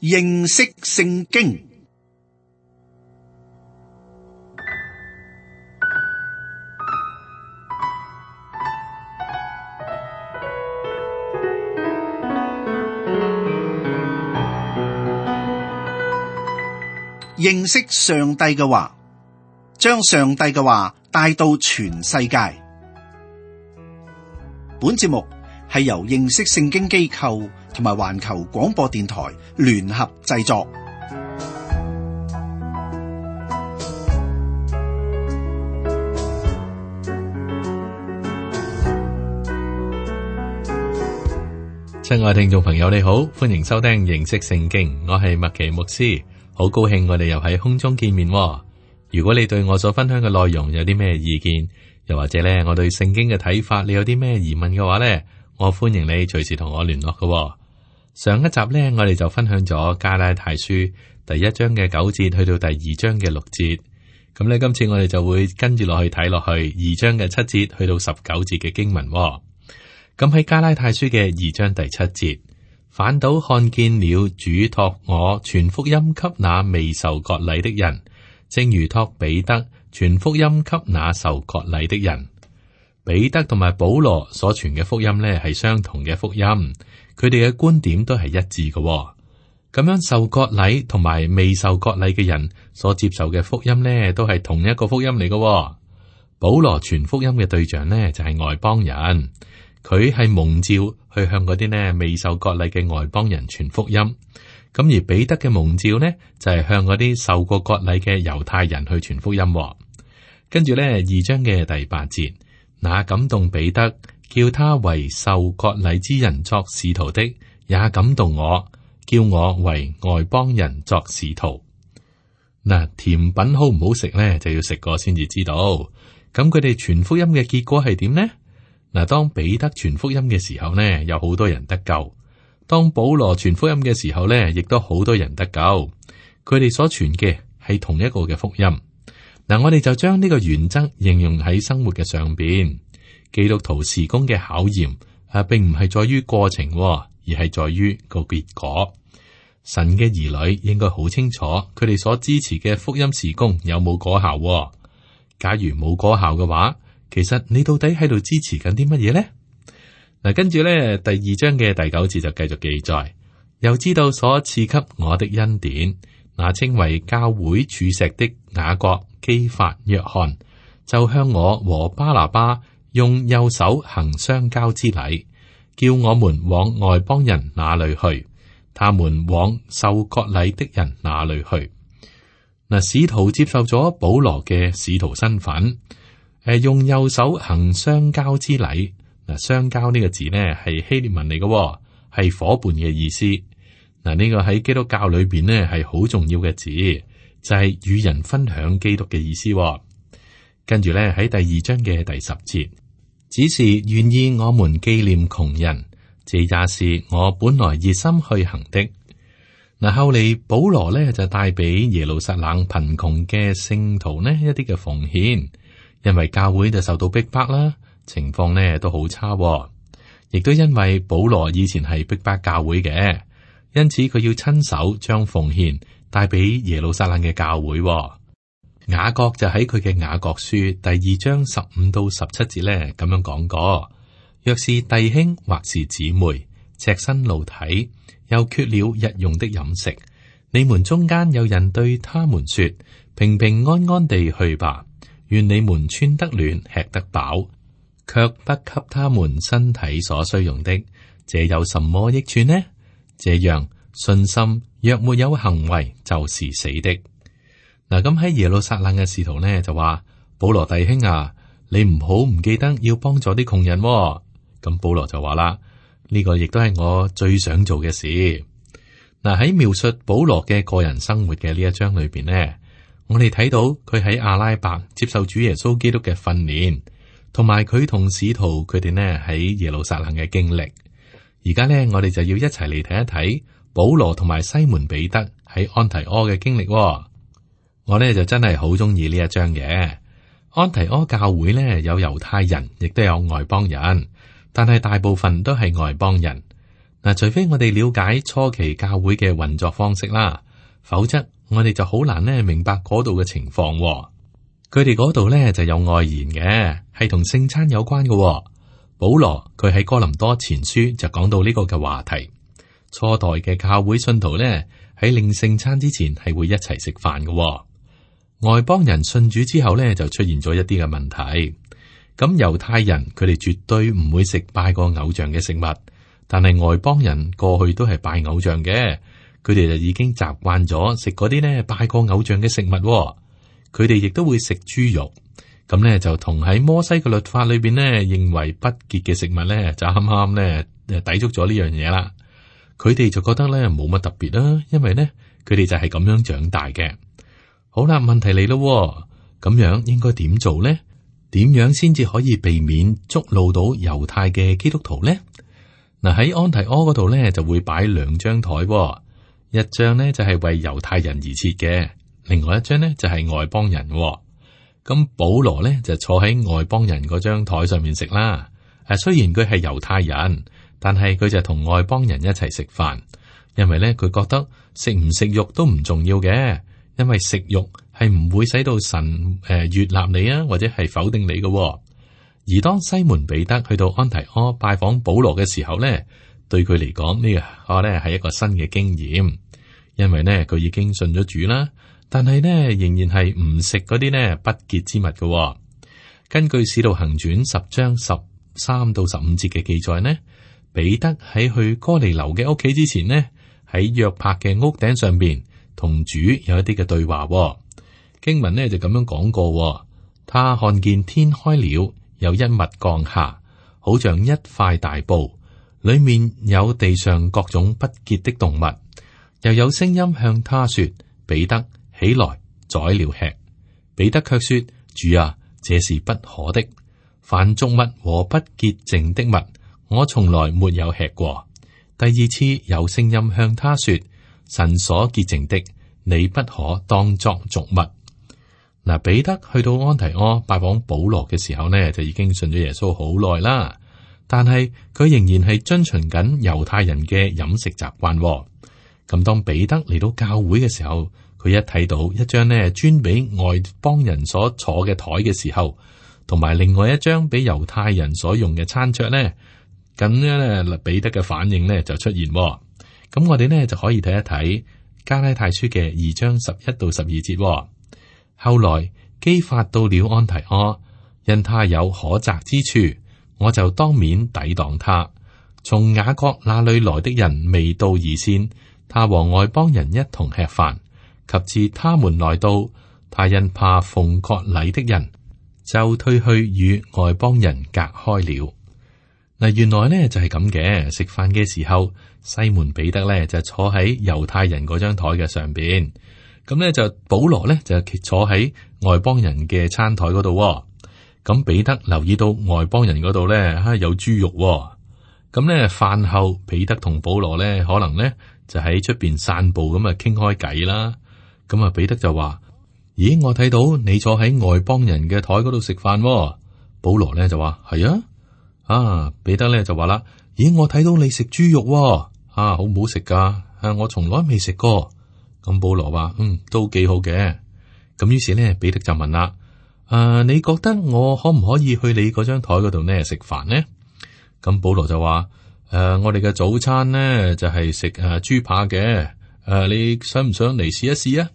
認識聖經。認識上帝嘅話，將上帝嘅話帶到全世界。本節目係由認識聖經機構同埋環球廣播電台聯合製作。親愛聽眾朋友，你好，歡迎收聽認識聖經，我係麥奇牧師，好高興我哋又喺空中見面。如果你對我所分享嘅內容有啲咩意見，又或者咧我對聖經嘅睇法，你有啲咩疑問嘅話咧，我歡迎你隨時同我聯絡嘅。上一集咧，我哋就分享咗加拉太書第1章嘅9節去到第2章嘅6節。咁咧，今次我哋就會跟住落去睇落去2章嘅7節去到19節嘅經文。咁喺加拉太書嘅2章第7節，反倒看見了主託我傳福音給那未受割禮的人，正如託彼得傳福音給那受割禮的人。彼得同埋保羅所傳嘅福音呢係相同嘅福音，佢哋嘅觀點都係一致嘅。咁樣受割禮同埋未受割禮嘅人所接受嘅福音呢，都係同一個福音嚟嘅。保羅傳福音嘅對象呢，就係外邦人。佢係蒙召去向嗰啲呢未受割禮嘅外邦人傳福音，咁而彼得嘅蒙召呢就係向嗰啲受過割禮嘅猶太人去傳福音。跟住呢2章嘅第8節，那感動彼得叫他為受割禮之人作使徒的，也感動我，叫我為外邦人作使徒。嗱，甜品好唔好食呢？就要食過先至知道。咁佢哋傳福音嘅結果係點呢？嗱，當彼得傳福音嘅時候呢，有好多人得救；當保羅傳福音嘅時候呢，亦都好多人得救。佢哋所傳嘅係同一個嘅福音。嗱，我哋就將呢個原則應用喺生活嘅上邊。基督徒事工嘅考驗並唔係在於過程，而係在於個結果。神嘅兒女應該好清楚，佢哋所支持嘅福音事工有冇果效。假如冇果效嘅話，其實你到底喺度支持緊啲乜嘢呢？嗱，跟住咧第2章嘅第9節就繼續記載，又知道所賜給我的恩典，那稱為教會柱石的雅各、基法、約翰，就向我和巴拿巴用右手行相交之禮，叫我們往外邦人那裏去，他們往受割禮的人那裏去。嗱，使徒接受咗保羅嘅使徒身份。用右手行相交之禮。嗱，相交呢個字呢係希臘文嚟嘅，係夥伴嘅意思。嗱，呢個喺基督教裏邊呢係好重要嘅字，就係與人分享基督嘅意思。跟住咧喺第2章嘅第10節，只是願意我們紀念窮人，這也是我本來熱心去行的。嗱，後嚟保羅呢就帶俾耶路撒冷貧窮嘅聖徒呢一啲嘅奉獻。因為教會就受到逼迫啦，情況呢都好差，亦都因為保羅以前係逼迫教會嘅，因此佢要親手將奉獻帶俾耶路撒冷嘅教會。雅各就喺佢嘅雅各書第2章15到17節呢咁樣講過：若是弟兄或是姊妹赤身露體，又缺了日用的飲食，你們中間有人對他們說：平平安安地去吧。願你們穿得暖，吃得飽，卻不給他們身體所需用的，這有什麼益處呢？這樣信心若沒有行為，就是死的。嗱，咁喺耶路撒冷嘅使徒呢就話：保羅弟兄啊，你唔好唔記得要幫助啲窮人。咁保羅就話啦：呢個亦都係我最想做嘅事。嗱，喺描述保羅嘅個人生活嘅呢一章裏邊呢，我哋睇到佢喺阿拉伯接受主耶穌基督嘅訓練，同埋佢同使徒佢哋呢喺耶路撒冷嘅經歷。而家呢，我哋就要一齊嚟睇一睇保羅同埋西門彼得喺安提阿嘅經歷。我呢就真係好中意呢一章嘅。安提阿教會呢有猶太人，亦都有外邦人，但係大部分都係外邦人。嗱，除非我哋了解初期教會嘅運作方式啦，否則我哋就好難咧明白嗰度嘅情況。佢哋嗰度咧就有外延嘅，係同聖餐有關嘅。保羅佢喺哥林多前書就講到呢個嘅話題。初代嘅教會信徒咧喺領聖餐之前係會一齊食飯嘅。外邦人信主之後咧就出現咗一啲嘅問題。咁猶太人佢哋絕對唔會食拜過偶像嘅食物，但係外邦人過去都係拜偶像嘅，佢哋就已經習慣咗食嗰啲咧拜過偶像嘅食物。佢哋亦都會食豬肉。咁咧就同喺摩西嘅律法裏邊咧認為不潔嘅食物咧就啱啱咧抵觸咗呢樣嘢啦。佢哋就覺得咧冇乜特別啦，因為咧佢哋就係咁樣長大嘅。好啦，問題嚟咯，咁樣應該點做咧？點樣先至可以避免觸怒到猶太嘅基督徒咧？嗱，喺安提阿嗰度咧就會擺2張台，一張咧就係為猶太人而設嘅，另外一張咧就係外邦人。咁保羅咧就坐喺外邦人嗰張台上面食啦。雖然佢係猶太人，但係佢就同外邦人一齊食飯，因為咧佢覺得食唔食肉都唔重要嘅，因為食肉係唔會使到神悅納你啊，或者係否定你嘅。而當西門彼得去到安提阿拜訪保羅嘅時候咧，對佢嚟講呢個咧係一個新嘅經驗，因為咧佢已經信咗主啦。但係呢，仍然係唔食嗰啲呢不潔之物嘅。根據《使徒行傳》10章13到15節嘅記載呢，彼得喺去哥尼流嘅屋企之前呢，喺約帕嘅屋頂上邊同主有一啲嘅對話。經文呢就咁樣講過，他看見天開了，有一物降下，好像一塊大布，裏面有地上各種不潔的動物，又有聲音向他說：彼得，起來宰了吃。彼得卻說：主啊，這是不可的。凡俗物和不潔淨的物，我從來沒有吃過。第二次有聲音向他說：神所潔淨的，你不可當作俗物。嗱，彼得去到安提阿拜訪保羅嘅時候呢，就已經信咗耶穌好耐啦。但係佢仍然係遵循緊猶太人嘅飲食習慣。咁當彼得嚟到教會嘅時候，佢一睇到一張呢專俾外邦人所坐嘅台嘅時候，同埋另外一張俾猶太人所用嘅餐桌呢，咁樣咧彼得嘅反應呢就出現。咁我哋呢就可以睇一睇加拉太書嘅2章11到12節。後來基法到了安提阿，因他有可責之處，我就當面抵擋他。從雅各那裏來的人未到以先，他和外邦人一同吃飯。及至他們來到，他因怕奉割禮的人，就退去與外邦人隔開了。嗱，原來呢就係咁嘅。食飯嘅時候，西門彼得呢就坐喺猶太人嗰張台嘅上邊，咁呢就保羅呢就坐喺外邦人嘅餐台嗰度。咁彼得留意到外邦人嗰度呢有豬肉。咁呢飯後，彼得同保羅呢可能呢就喺出邊散步咁啊，傾開偈啦。咁啊，彼得就話：咦，我睇到你坐喺外邦人嘅台嗰度食飯。保羅咧就話：係啊。啊，彼得咧就話啦：咦，我睇到你食豬肉。啊，好唔好食噶？我從來未食過。咁保羅話：都幾好嘅。咁於是咧，彼得就問啦：你覺得我可唔可以去你嗰張台嗰度呢食飯呢？咁保羅就話：我哋嘅早餐呢就係食豬扒嘅。你想唔想嚟試一試啊？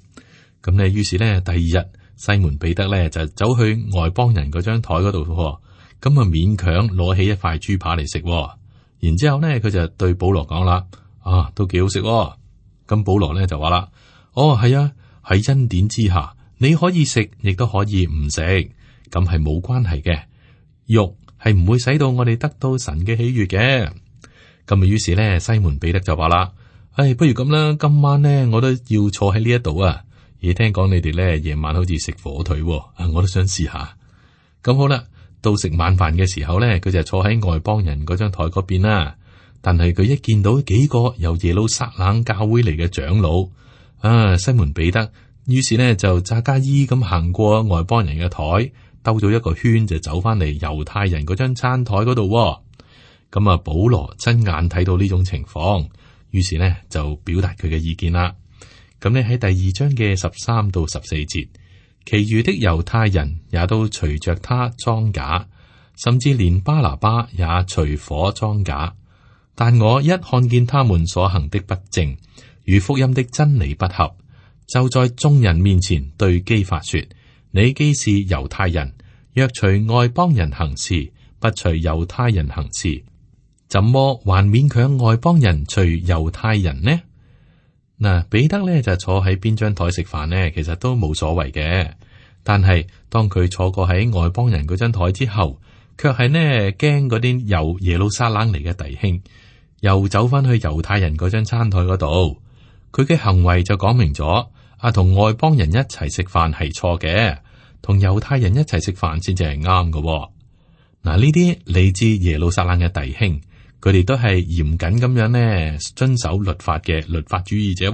咁咧，於是咧，第二日西門彼得咧就走去外邦人嗰張台嗰度，咁啊勉強攞起一塊豬扒嚟食。然之後咧，佢就對保羅講啦：都幾好食。咁保羅咧就話啦：係啊，喺恩典之下，你可以食，亦都可以唔食，咁係冇關係嘅。肉係唔會使到我哋得到神嘅喜悅嘅。咁啊，於是咧，西門彼得就話啦：不如咁啦，今晚咧我都要坐喺呢一度啊！而聽講你哋咧夜晚好似食火腿，我都想試下。咁好啦，到食晚飯嘅時候咧，佢就坐喺外邦人嗰張台嗰邊啦。但係佢一見到幾個由耶路撒冷教會嚟嘅長老，西門彼得，於是咧就詐假意咁行過外邦人嘅台，兜咗一個圈就走翻嚟猶太人嗰張餐台嗰度。咁啊，保羅親眼睇到呢種情況，於是呢就表達佢嘅意見啦。咁呢喺第二章嘅13到14節，其餘的猶太人也都隨着他裝假，甚至連巴拿巴也隨火裝假。但我一看見他們所行的不正，與福音的真理不合，就在眾人面前對基法說：你既是猶太人，若隨外邦人行事，不隨猶太人行事，怎麼還勉強外邦人隨猶太人呢？嗱，彼得咧就坐喺邊張台食飯呢，其實都冇所謂嘅。但係當佢坐過喺外邦人嗰張台之後，卻係呢驚嗰啲由耶路撒冷嚟嘅弟兄又走翻去猶太人嗰張餐台嗰度，佢嘅行為就講明咗同外邦人一齊食飯係錯嘅，同猶太人一齊食飯先至係啱嘅。嗱，呢啲嚟自耶路撒冷嘅弟兄，佢哋都係嚴謹咁樣呢遵守律法嘅律法主義者。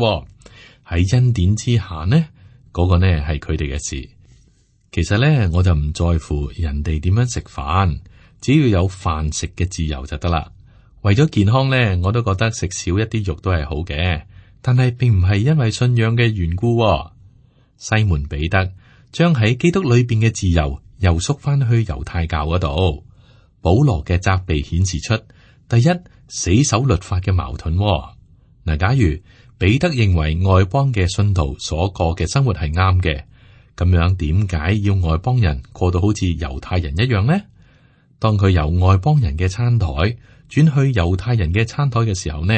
喺恩典之下呢，嗰個呢係佢哋嘅事。其實呢，我就唔在乎人哋點樣食飯，只要有飯食嘅自由就得啦。為咗健康呢，我都覺得食少一啲肉都係好嘅，但係並唔係因為信仰嘅緣故。西門彼得將喺基督裏邊嘅自由又縮翻去猶太教嗰度。保羅嘅責備顯示出，第一，死守律法嘅矛盾。嗱，假如彼得認為外邦嘅信徒所過嘅生活係啱嘅，咁樣點解要外邦人過到好似猶太人一樣呢？當佢由外邦人嘅餐台轉去猶太人嘅餐台嘅時候呢，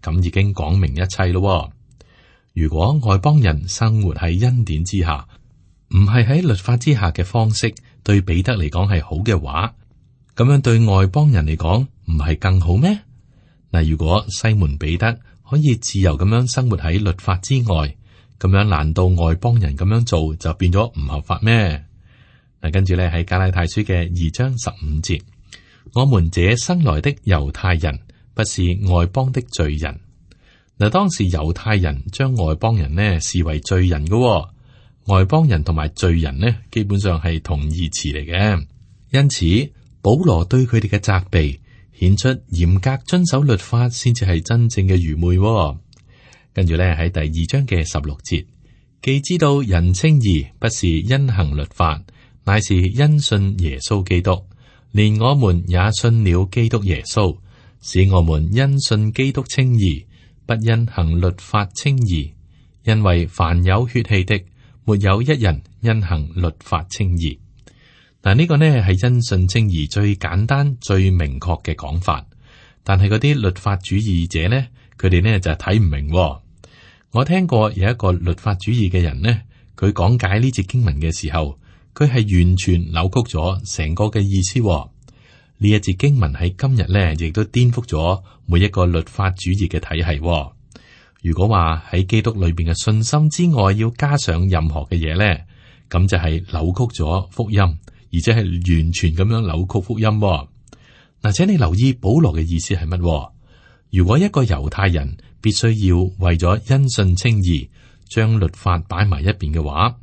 咁已經講明一切咯。如果外邦人生活喺恩典之下，唔係喺律法之下嘅方式，對彼得嚟講係好嘅話，咁樣對外邦人嚟講唔係更好咩？嗱，如果西門彼得可以自由咁樣生活喺律法之外，咁樣難道外邦人咁樣做就變咗唔合法咩？嗱，跟住咧喺加拉太書嘅2章15節，我們這生來的猶太人不是外邦的罪人。嗱，當時猶太人將外邦人呢視為罪人嘅，外邦人同埋罪人呢基本上係同義詞嚟嘅。因此保羅對佢哋嘅責備顯出嚴格遵守律法先至係真正嘅愚昧。跟住咧喺第2章嘅16節，既知道人稱義不是因行律法，乃是因信耶穌基督，連我們也信了基督耶穌，使我們因信基督稱義，不因行律法稱義。因為凡有血氣的，沒有一人因行律法稱義。嗱，呢個呢係因信稱義最簡單、最明確嘅講法。但係嗰啲律法主義者呢，佢哋呢就睇唔明。我聽過有一個律法主義嘅人呢，佢講解呢節經文嘅時候，佢係完全扭曲咗成個嘅意思。呢一節經文喺今日呢，亦都顛覆咗每一個律法主義嘅體系。如果話喺基督裏邊嘅信心之外，要加上任何嘅嘢呢，咁就係扭曲咗福音，而且係完全咁樣扭曲福音。嗱，請你留意保羅嘅意思係乜？如果一個猶太人必須要為咗因信稱義，將律法擺埋一邊嘅話，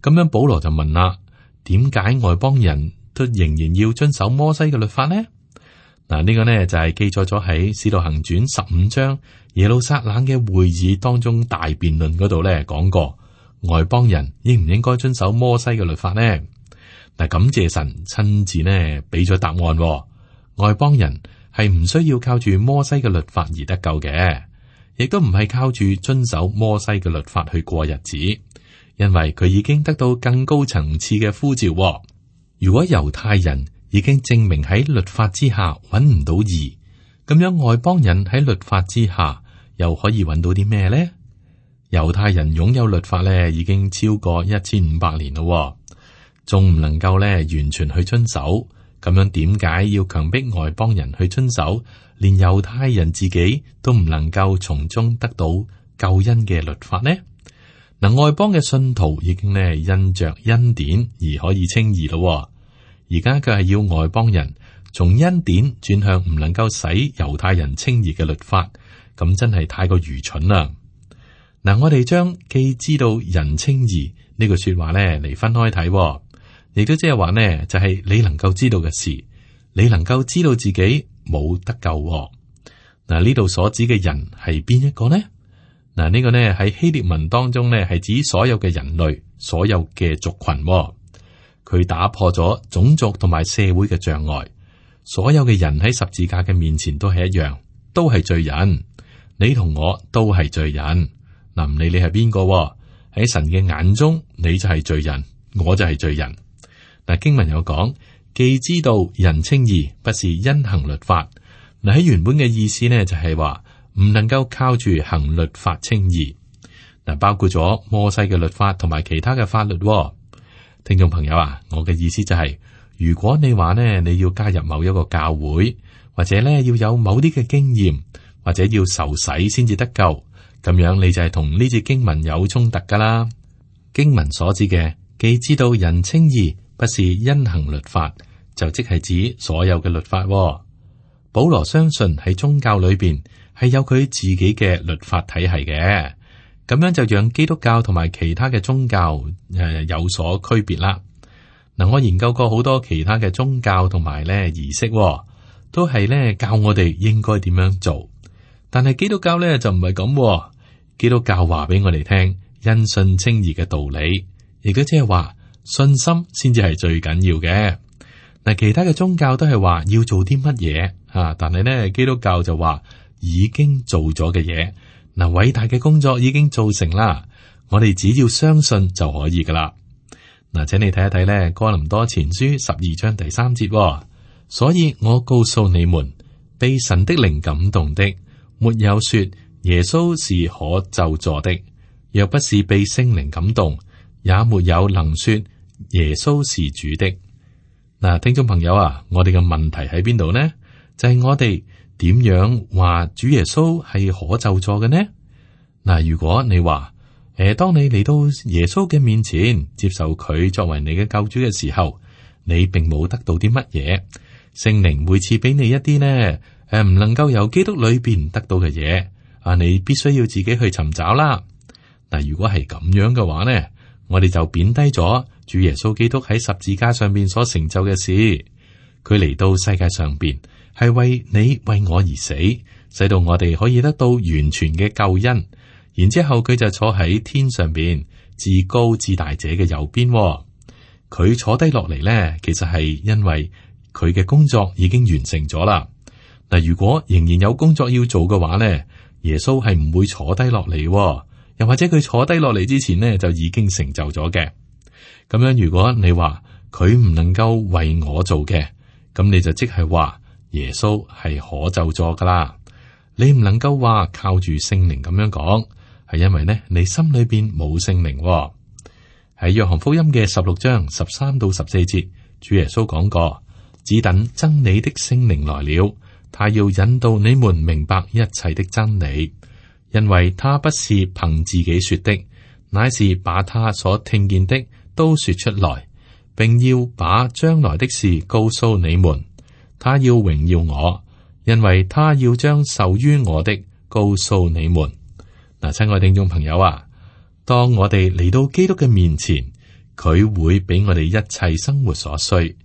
咁樣保羅就問啦：點解外邦人都仍然要遵守摩西嘅律法呢？嗱，呢個呢就係記載咗喺《使徒行傳》15章耶路撒冷嘅會議當中大辯論嗰度呢講過，外邦人應唔應該遵守摩西嘅律法呢？嗱，感謝神親自呢俾咗答案，外邦人係唔需要靠住摩西嘅律法而得救嘅，亦都唔係靠住遵守摩西嘅律法去過日子，因為佢已經得到更高層次嘅呼召。如果猶太人已經證明喺律法之下揾唔到義，咁樣外邦人喺律法之下又可以揾到啲咩呢？猶太人擁有律法咧，已經超過1500年咯，仲唔能夠咧完全去遵守？咁樣點解要強迫外邦人去遵守？連猶太人自己都唔能夠從中得到救恩嘅律法呢？嗱，外邦嘅信徒已經咧因着恩典而可以稱義咯，而家佢係要外邦人從恩典轉向唔能夠使猶太人稱義嘅律法，咁真係太過愚蠢啦！嗱，我哋將既知道人稱義呢句說話咧嚟分開睇，亦都即係話呢，就係你能夠知道嘅事，你能夠知道自己冇得救喎。嗱，呢度所指嘅人係邊一個呢？嗱，呢個呢喺希臘文當中呢係指所有嘅人類，所有嘅族群喎。佢打破咗種族同埋社會嘅障礙，所有嘅人喺十字架嘅面前都係一樣，都係罪人。你同我都係罪人。嗱，唔理你係邊個喎，喺神嘅眼中，你就係罪人，我就係罪人。嗱，經文有講，既知道人稱義，不是因行律法。嗱，喺原本嘅意思呢，就係話唔能夠靠住行律法稱義。嗱，包括咗摩西嘅律法同埋其他嘅法律喎。聽眾朋友啊，我嘅意思就係，如果你話呢，你要加入某一個教會，或者呢要有某啲嘅經驗，或者要受洗先至得救，咁樣你就係同呢節經文有衝突噶啦。經文所指嘅，既知道人稱義，不是因行律法，就即係指所有嘅律法喎。保羅相信喺宗教裏邊係有佢自己嘅律法體系嘅，咁樣就讓基督教同埋其他嘅宗教有所區別啦。嗱，我研究過好多其他嘅宗教同埋咧儀式喎，都係咧教我哋應該點樣做。但係基督教咧就唔係咁喎，基督教話俾我哋聽因信稱義嘅道理，亦都即係話信心先至係最緊要嘅。嗱，其他嘅宗教都係話要做啲乜嘢啊，但係咧基督教就話已經做咗嘅嘢，嗱，偉大嘅工作已經做成啦，我哋只要相信就可以噶啦。嗱，請你睇一睇咧哥林多前書12章第3節喎，所以我告訴你們，被神的靈感動的，沒有說耶穌是可咒詛的，若不是被聖靈感動，也沒有能說耶穌是主的。嗱，聽眾朋友啊，我哋嘅問題喺邊度呢？就係我哋點樣話主耶穌係可咒詛嘅呢？嗱，如果你話當你嚟到耶穌嘅面前接受佢作為你嘅救主嘅時候，你並冇得到啲乜嘢，聖靈會賜俾你一啲呢唔能夠由基督裏邊得到嘅嘢啊，你必須要自己去尋找啦。嗱，如果係咁樣嘅話呢，我哋就貶低咗主耶穌基督喺十字架上邊所成就嘅事。佢嚟到世界上邊係為你為我而死，使到我哋可以得到完全嘅救恩。然之後佢就坐喺天上邊至高至大者嘅右邊。佢坐低落嚟呢，其實係因為佢嘅工作已經完成咗啦。嗱，如果仍然有工作要做嘅話呢，耶穌係唔會坐低落嚟，又或者佢坐低落嚟之前呢，就已經成就咗嘅。咁樣，如果你話佢唔能夠為我做嘅，咁你就即係話耶穌係可咒詛噶啦。你唔能夠話靠住聖靈咁樣講，係因為呢你心裏邊冇聖靈。喺約翰福音嘅16章13到14節，主耶穌講過：只等真理的聖靈來了，他要引導你們明白一切的真理，因為他不是憑自己說的，乃是把他所聽見的都說出來，並要把將來的事告訴你們。他要榮耀我，因為他要將受於我的告訴你們。嗱，親愛聽眾朋友啊，當我哋嚟到基督嘅面前，佢會俾我哋一切生活所需。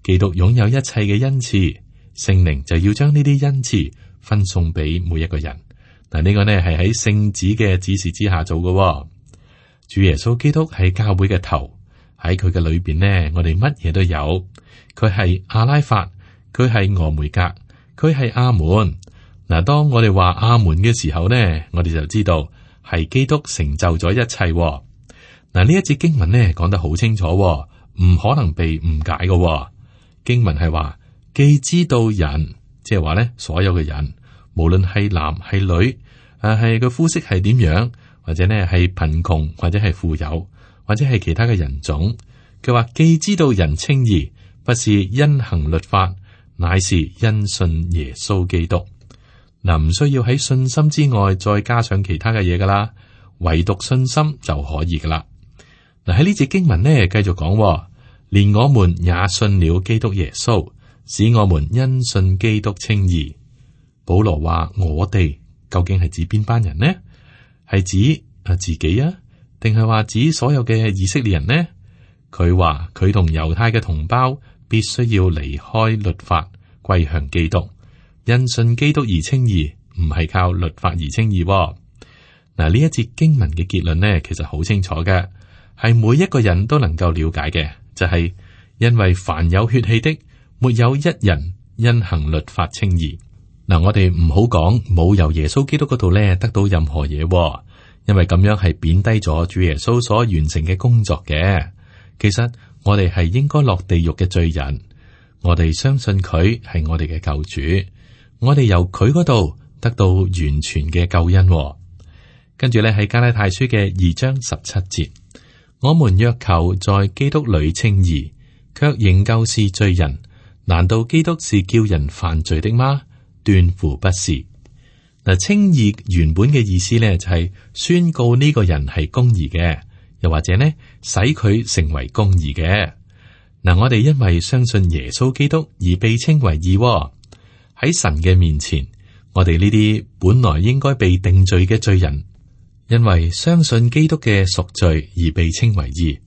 基督擁有一切嘅恩賜，聖靈就要將呢啲恩賜分送俾每一個人。嗱，呢個呢係喺聖子嘅指示之下做嘅。主耶穌基督係教會嘅頭，喺佢嘅裏邊呢，我哋乜嘢都有。佢係阿拉法，佢係俄梅格，佢係阿門。嗱，當我哋話阿門嘅時候呢，我哋就知道係基督成就咗一切。嗱，呢一節經文呢講得好清楚，唔可能被誤解嘅。經文係話，既知道人，即係話呢所有嘅人，無論係男係女，係個膚色係點樣，或者呢係貧窮，或者係富有，或者係其他嘅人種。佢話既知道人稱義，不是因行律法，乃是因信耶穌基督。嗱，唔需要喺信心之外再加上其他嘅嘢噶啦，唯獨信心就可以噶啦。嗱，喺呢節經文呢，繼續講，連我們也信了基督耶穌，使我們因信基督稱義。保羅話我哋究竟係指邊班人呢？係指自己啊，定係話指所有嘅以色列人呢？佢話佢同猶太嘅同胞必須要離開律法，歸向基督。因信基督而稱義，唔係靠律法而稱義。嗱，呢一節經文嘅結論呢，其實好清楚嘅，係每一個人都能夠了解嘅，就係因為凡有血氣的，沒有一人因行律法稱義。嗱，我哋唔好講冇由耶穌基督嗰度咧得到任何嘢，因為咁樣係貶低咗主耶穌所完成嘅工作嘅。其實我哋係應該落地獄嘅罪人，我哋相信佢係我哋嘅救主，我哋由佢嗰度得到完全嘅救恩。跟住咧喺加拉太書嘅2章17節，我們若求在基督裏稱義，卻仍舊是罪人，難道基督是叫人犯罪的嗎？斷乎不是。嗱，稱義原本嘅意思咧就係宣告呢個人係公義嘅，又或者呢使佢成為公義嘅。嗱，我哋因為相信耶穌基督而被稱為義喎。喺神嘅面前，我哋呢啲本來應該被定罪嘅罪人，因為相信基督嘅贖罪而被稱為義。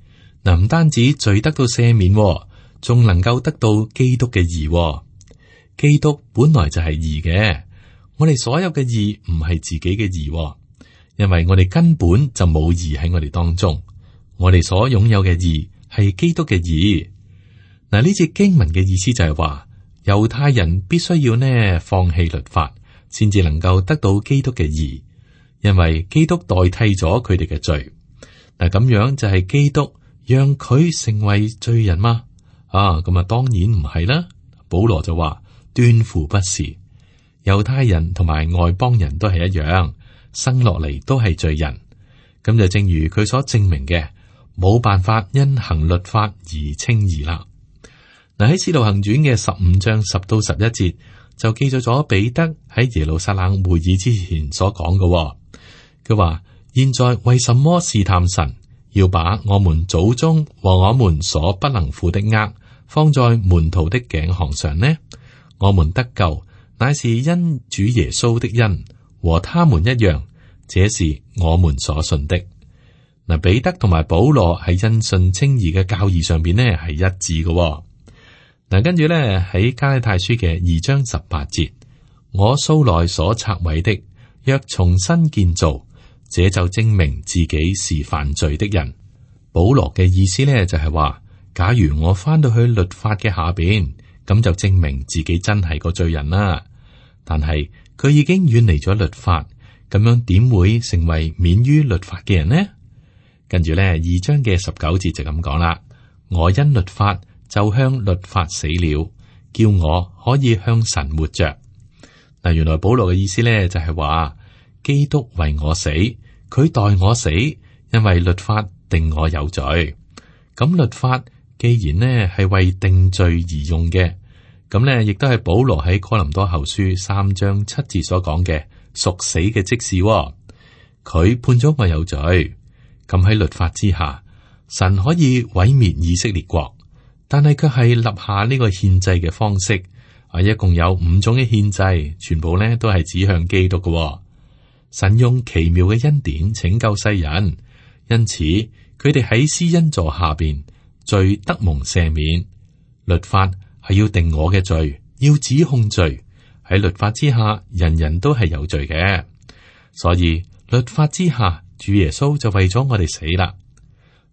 嗱，唔單止罪得到赦免喎，仲能夠得到基督嘅義喎。基督本來就係義嘅，我哋所有嘅義唔係自己嘅義喎，因為我哋根本就冇義喺我哋當中。我哋所擁有嘅義係基督嘅義。嗱，呢節經文嘅意思就係話，猶太人必須要呢放棄律法，先至能夠得到基督嘅義，因為基督代替咗佢哋嘅罪。嗱，咁樣就係基督讓佢成為罪人嗎？咁啊，當然唔係啦。保羅就話，斷乎不是。猶太人同埋外邦人都係一樣，生落嚟都係罪人。咁就正如佢所證明嘅，冇辦法因行律法而稱義啦。嗱，喺《使徒行傳》嘅15章10到11節就記載咗彼得喺耶路撒冷會議之前所講嘅。佢話：現在為什麼試探神，要把我們祖宗和我們所不能負的軛放在門徒的頸項上呢？我們得救，乃是因主耶穌的恩，和他們一樣，這是我們所信的。嗱，彼得同埋保羅喺因信稱義嘅教義上邊呢係一致嘅。嗱，跟住咧喺加拉太書嘅2章18節，我素來所拆毀的，若重新建造，這就證明自己是犯罪的人。保羅嘅意思咧就係話，假如我翻到去律法嘅下邊，咁就證明自己真係個罪人啦。但係佢已經遠離咗律法，咁樣點會成為免於律法嘅人呢？跟住咧2章嘅19節就咁講啦，我因律法就向律法死了，叫我可以向神活着。嗱，原來保羅嘅意思咧就係話，基督為我死，佢代我死，因為律法定我有罪。咁律法既然呢係為定罪而用嘅，咁呢亦都係保羅喺哥林多後書3章7節所講嘅屬死嘅職事。佢判咗我有罪。咁喺律法之下，神可以毀滅以色列國，但係卻係立下呢個獻祭嘅方式。一共有5種嘅獻祭，全部呢都係指向基督嘅。神用奇妙嘅恩典拯救世人，因此佢哋喺施恩座下邊，罪得蒙赦免。律法係要定我嘅罪，要指控罪。喺律法之下，人人都係有罪嘅，所以律法之下，主耶穌就為咗我哋死啦。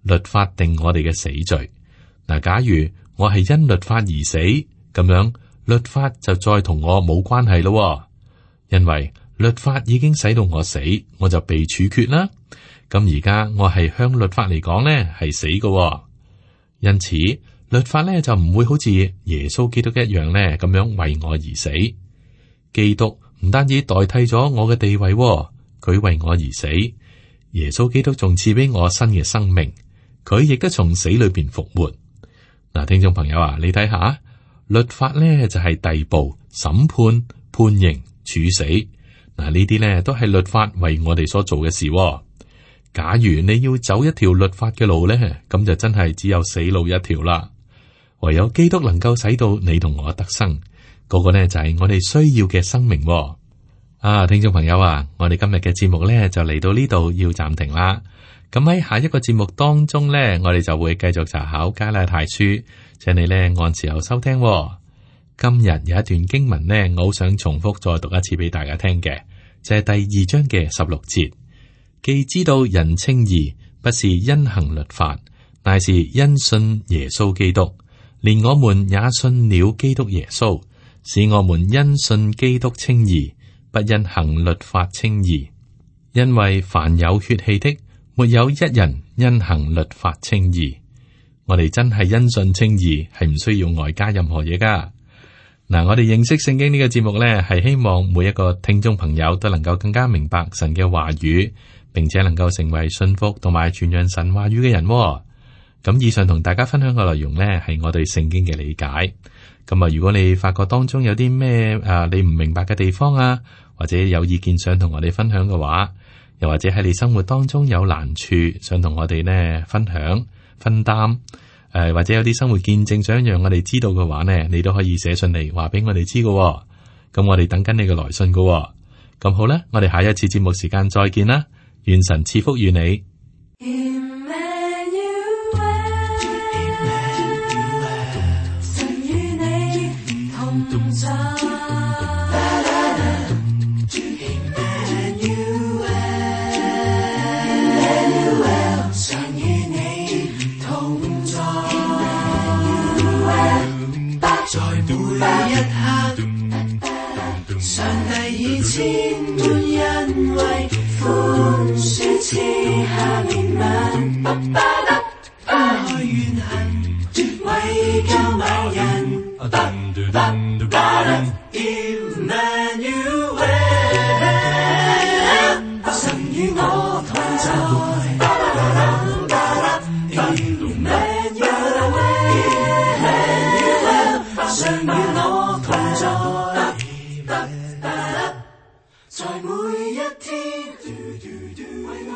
律法定我哋嘅死罪。嗱，假如我係因律法而死，咁樣律法就再同我冇關係咯，因為律法已經使到我死，我就被處決啦。咁而家我係向律法嚟講呢係死嘅，因此律法呢就唔會好似耶穌基督一樣呢咁樣為我而死。基督唔單止代替咗我嘅地位，佢為我而死。耶穌基督仲賜俾我新嘅生命，佢亦都從死裏邊復活。嗱，聽眾朋友啊，你睇下，律法呢就係逮捕、審判、判刑、處死。嗱，呢啲呢都係律法為我哋所做嘅事。假如你要走一條律法嘅路呢，咁就真係只有死路一條啦。唯有基督能夠使到你同我得生，嗰個呢就係我哋需要嘅生命。聽眾朋友啊，我哋今日嘅節目呢就嚟到呢度要暫停啦。咁喺下一個節目當中呢，我哋就會繼續查考加拉太書，請你呢按時候收聽。今日有一段經文呢，我好想重複再讀一次俾大家聽嘅，就係第2章嘅16節。既知道人稱義不是因行律法，乃是因信耶穌基督，連我們也信了基督耶穌，使我們因信基督稱義，不因行律法稱義。因為凡有血氣的，沒有一人因行律法稱義。我哋真係因信稱義，係唔需要外加任何嘢噶。嗱，我哋認識聖經呢個節目呢，係希望每一個聽眾朋友都能夠更加明白神嘅話語，並且能夠成為信服同埋傳揚神話語嘅人。咁以上同大家分享嘅內容呢，係我對聖經嘅理解。咁啊，如果你發覺當中有啲咩你唔明白嘅地方啊，或者有意見想同我哋分享嘅話，又或者喺你生活當中有難處想同我哋呢分享分擔。或者有啲生活見證想讓我哋知道嘅話呢，你都可以寫信嚟話俾我哋知嘅。咁我哋等緊你嘅來信嘅。咁好啦，我哋下一次節目時間再見啦，願神賜福與你。神與你同在，在每一刻，上帝以千般恩惠寬恕賜下憐憫，愛怨恨為救萬人。神與我同在。常與我同在，在每一天，為我